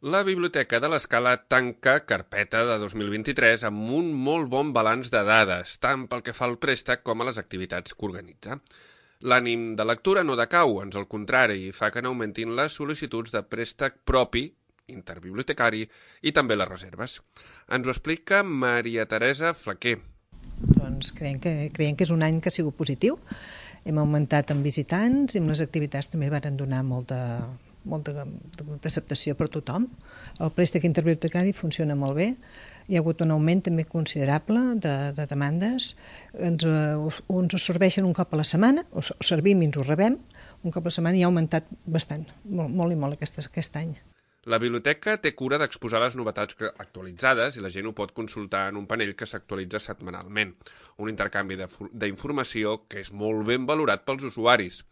La Biblioteca de l'Escala tanca carpeta de 2023 amb un molt bon balanç de dades, tant pel que fa al préstec com a les activitats que organitza. L'ànim de lectura no decau, ans al contrari, i fa que n'augmentin les sol·licituds de préstec propi, interbibliotecari, i també les reserves. Ens ho explica Maria Teresa Flaquer. Doncs creiem que és un any que ha sigut positiu. Hem augmentat en visitants i amb les activitats també varen donar molta acceptació per tothom. El préstec interbibliotecari funciona molt bé. Hi ha hagut un augment també considerable de demandes. Ens ho serveixen un cop a la setmana, ho servim i ens ho rebem. Un cop a la setmana i ha augmentat bastant, molt i molt aquest any. La biblioteca té cura d'exposar les novetats actualitzades i la gent ho pot consultar en un panell que s'actualitza setmanalment. Un intercanvi d'informació que és molt ben valorat pels usuaris.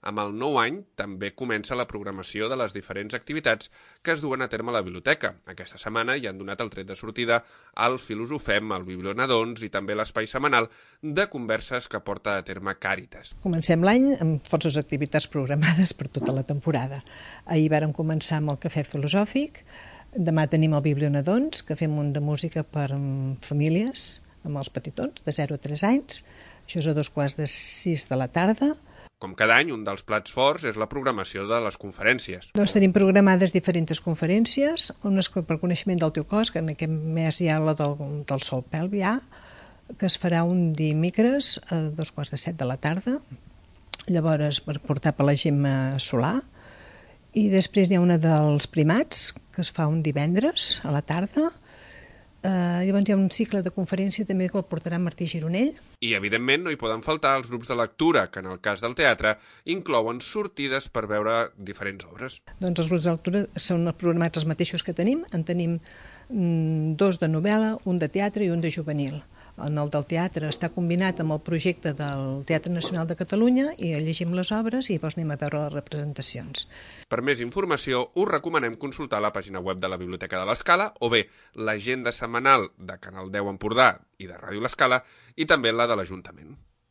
Amb el nou any també comença la programació de les diferents activitats que es duen a terme a la biblioteca. Aquesta setmana ja han donat el tret de sortida al Filosofem, al Biblionadons i també l'espai setmanal de converses que porta a terme Càritas. Comencem l'any amb forces activitats programades per tota la temporada. Ahir vàrem començar amb el cafè filosòfic, demà tenim el Biblionadons, que fem un de música per famílies, amb els petitons, de 0 a 3 anys. Això és a 5:45 de la tarda. Com cada any, un dels plats forts és la programació de les conferències. Doncs tenim programades diferents conferències, unes per coneixement del teu cos, que en aquest mes hi ha la del sol pelvià, que es farà un dimecres a 7:15 de la tarda, llavors per portar per la Gemma Solà, i després hi ha una dels primats, que es fa un divendres a la tarda. Llavors hi ha un cicle de conferència també que el portarà Martí Gironell. I, evidentment, no hi poden faltar els grups de lectura, que en el cas del teatre inclouen sortides per veure diferents obres. Doncs els grups de lectura són programats els mateixos que tenim. En tenim 2 de novel·la, un de teatre i un de juvenil. En el del teatre està combinat amb el projecte del Teatre Nacional de Catalunya i llegim les obres i llavors anem a veure les representacions. Per més informació, us recomanem consultar la pàgina web de la Biblioteca de l'Escala o bé l'agenda setmanal de Canal 10 Empordà i de Ràdio l'Escala i també la de l'Ajuntament.